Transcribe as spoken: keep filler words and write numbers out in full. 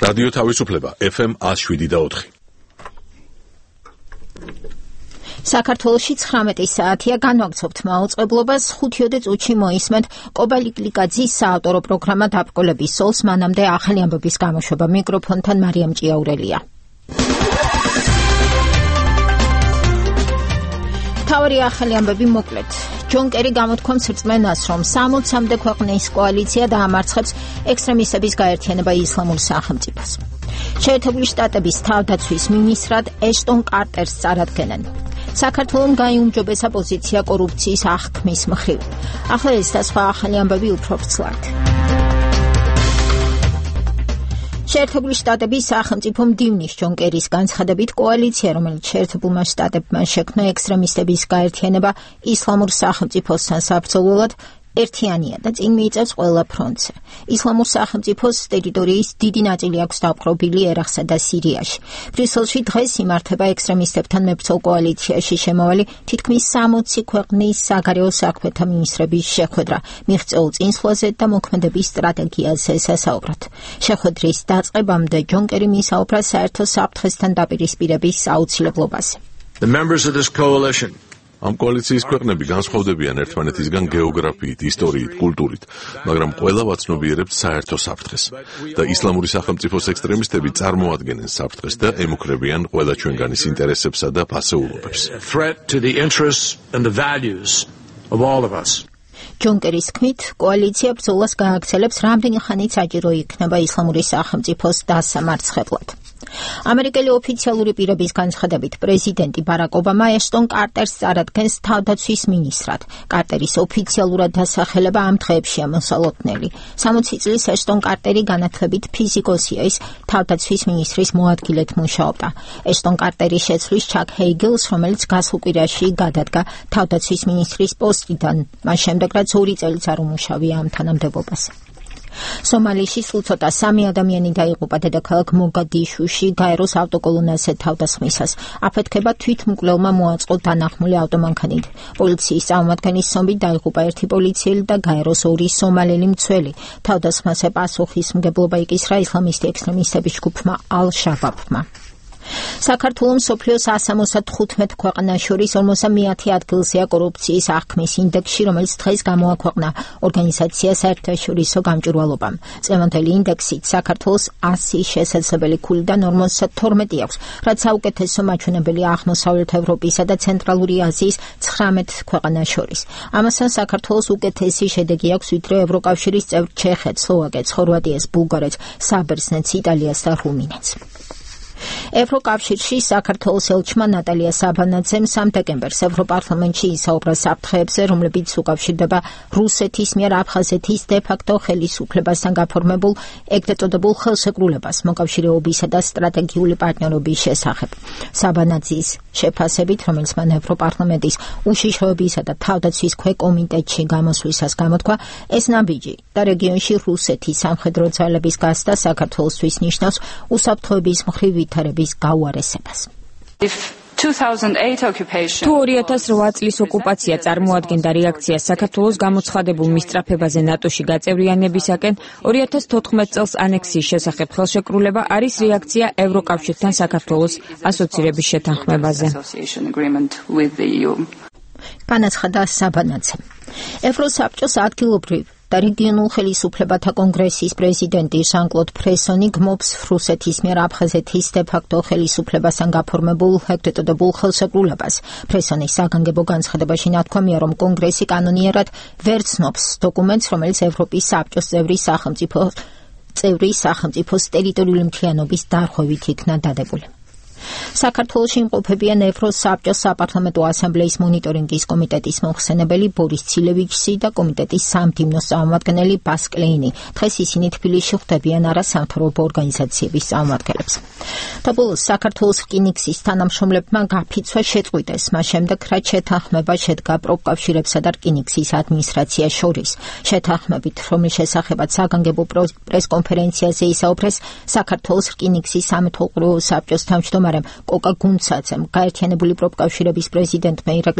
რადიო თავისუფლება ეფ ემ ათს შვიდი და ოთხი. საქართველოში ცხრამეტი საათია, განვაგრძობთ მაუწყებლობას. ხუთიოდე წუთში მოისმენთ კობალიკლიკაძის საავტორო პროგრამა დაბრკოლების სოლს, მანამდე ახალი ამბების გამოშვება. მიკროფონთან მარიამ ჭიაურელია. მთავარი ახალი ამბები მოკლედ. ჯონ კერი გამოთქვამს რწმენას, რომ სამოცამდე ქვეყნის კოალიცია დაამარცხებს ექსტრემისტების გაერთიანება ისლამურ სახელმწიფოს. შეერთებული შტატების თავდაცვის მინისტრად ეშტონ კარტერს წარადგენენ. საქართველოს გაიუმჯობესა პოზიცია კორუფციის აღქმის მხრივ. ახლა ეს და სხვა ახალი ამბები უფრო ვრცლად. შეერთებული შტატების სახელმწიფო მდივნის ჯონ კერის განცხადებით, კოალიცია, რომელიც შეერთებულმა შტატებმა შექმნა ექსტრემისტების გაერთიანება ისლამურ სახელმწიფოსთან საბრძოლველად, ერთიანია და წინ მიიწევს ყველა ფრონტზე. ისლამურ სახელმწიფოს ტერიტორიის დიდი ნაწილი აქვს დაპყრობილი ერაყსა და სირიაში. ბრიუსელში დღეს იმართება ექსტრემისტებთან მებრძოლ კოალიციაში შემავალი თითქმის სამოცი ქვეყნის საგარეო საქმეთა მინისტრების შეხვედრა. მიღწეულ წინსვლაზე და მოქმედების სტრატეგიაზე სასაუბრად. შეხვედრის დაწყებამდე ჯონ კერი მისაუბრა საერთო საფრთხესთან დაპირისპირების აუცილებლობაზე. The members of this coalition ამ კოალიციის ქვეყნები განსხვავდებიან ერთმანეთისგან გეოგრაფიით, ისტორიით, კულტურით, მაგრამ ყველა ვაცნობიერებთ საერთო საფრთხეს და ისლამური სახელმწიფოს ექსტრემისტები წარმოადგენენ საფრთხეს და ემუქრებიან ყველა ჩვენგანის ინტერესებსა და ფასეულობებს. ჯონ კერის თქმით, კოალიცია ბრძოლას გააგრძელებს, რამდენი ხანით საჭირო იქნება ისლამური სახელმწიფოს დასამარცხებლად. ამერიკელი ოფიციალური პირების განცხადებით, პრეზიდენტი ბარაკ ობამა ეშტონ კარტერს წარადგენს თავდაცვის მინისტრად. კარტერის ოფიციალურად დასახელება ამ დღეებშია მოსალოდნელი. სამოცი წლის ეშტონ კარტერი განათლებით ფიზიკოსია, ის თავდაცვის მინისტრის მოადგილედ მუშაობდა. ეშტონ კარტერის შეცვლის ჩაკ ჰეიგელს, რომელიც გასულ კვირაში გადადგა თავდაცვის მინისტრის პოსტიდან, მას შემდეგ რაც ორი წელიც არ უმუშავია ამ თანამდებობაზე. სომალიში სულ ცოტა სამი ადამიანი დაიღუპა დედაქალაქ მოგადიშუში გაეროს ავტოკოლონაზე თავდასხმისას. აფეთქება თვითმკვლელმა მოაწყო დანახმული ავტომანქანით. პოლიციის წარმომადგენლის ცნობით დაიღუპა ერთი პოლიციელი და გაეროს ორი სომალელი მცველი. თავდასხმაზე პასუხისმგებლობა იკისრა ისლამისტი ექსტრემისტების ჯგუფმა ალ-შაბაბმა. საქართველოს მსოფლიოს ასამოცდათხუთმეტ ქვეყანას შორის ორმოცდამეათე ადგილზეა კორუფციის აღქმის ინდექსში, რომელიც დღეს გამოაქვეყნა ორგანიზაცია საერთაშორისო გამჭვირვალობამ. წლევანდელი ინდექსით საქართველოს ასი შესაძლებელი ქულიდან ორმოცდათორმეტი აქვს, რაც საუკეთესო მაჩვენებელია აღმოსავლეთ ევროპისა და ცენტრალური აზიის ცხრამეტ ქვეყანას შორის. ამასთან საქართველოს უკეთესი შედეგი აქვს ვიდრე ევროკავშირის წევრ ჩეხეთს, სლოვაკეთს, ხორვატიას, ბულგარეთს, საბერძნეთს, იტალიას და რუმინეთს. ევროკავშირში საქართველოს ელჩმა ნატალია საბანაძემ სამ დეკემბერს ევროპარლამენტში ისაუბრა საფრთხეებზე, რომლებიც უკავშირდება რუსეთის მიერ აფხაზეთის დე-ფაქტო ხელისუფლებასთან გაფორმებულ ეგრეთ წოდებულ ხელშეკრულებას მოკავშირეობისა და სტრატეგიული პარტნიორობის შესახებ. საბანაძის შეფასებით, რომელიც მან ევროპარლამენტის უშიშროებისა და თავდაცვის ქვეკომიტეტში გამოსვლისას გამოთქვა, ეს ნაბიჯი და რეგიონში რუსეთის სამხედრო ძალების გასვლა საქართველოსთვის ნიშნავს უსაფრთხოების მხრივ ვითარების გაუარესებას. თუ ორი ათას ოთხ წლის ოკუპაცია წარმოადგენდა რეაქციას საქართველოს გამოცხადებულ მისწრაფებაზე ნატოში გაწევრიანებისაკენ, ორი ათას თოთხმეტ წელს ანექსიის შესახებ ხელშეკრულება არის რეაქცია ევროკავშირთან საქართველოს ასოცირების შეთანხმებაზე. განაცხადა საბანაძემ. ევროსაბჭოს ადგილობრივ და რეგიონულ ხელისუფლებათა კონგრესის პრეზიდენტი ჟან-კლოდ ფრესონი გმობს რუსეთის მიერ აფხაზეთის დე-ფაქტო ხელისუფლებასთან გაფორმებულ ეგრეთ წოდებულ ხელშეკრულებას. ფრესონის საგანგებო განცხადებაში ნათქვამია, რომ კონგრესი კანონიერად ვერ ცნობს დოკუმენტს, რომელიც ევროპის საბჭოს წევრი სახელმწიფო წევრი სახელმწიფოს ტერიტორიული მთლიანობის დარღვევით იქნა დადებული. საქართველოში იმყოფებიან ევროსაბჭოს საპარლამენტო ასამბლეის მონიტორინგის კომიტეტის მომხსენებელი ბორის ცილევიჩი და კომიტეტის სამდივნოს წარმომადგენელი ბას კლეინი. დღეს ისინი თბილისში ხვდებიან არასამთავრობო ორგანიზაციების წარმომადგენლებს. და ბოლოს საქართველოს რკინიგზის თანამშრომლებმა გაფიცვა შეწყვიტეს, მას შემდეგ რაც შეთანხმება შედგა პროფკავშირებსა და რკინიგზის ადმინისტრაციას შორის. შეთანხმებით, რომლის შესახებაც საგანგებო პრესკონფერენციაზე ისაუბრეს საქართველოს რკინიგზის სამეთვალყურო საბჭოს თავმჯდომარე კოკა გუნცაძემ, გაერთიანებული პროფკავშირების პრეზიდენტმა ირაკლი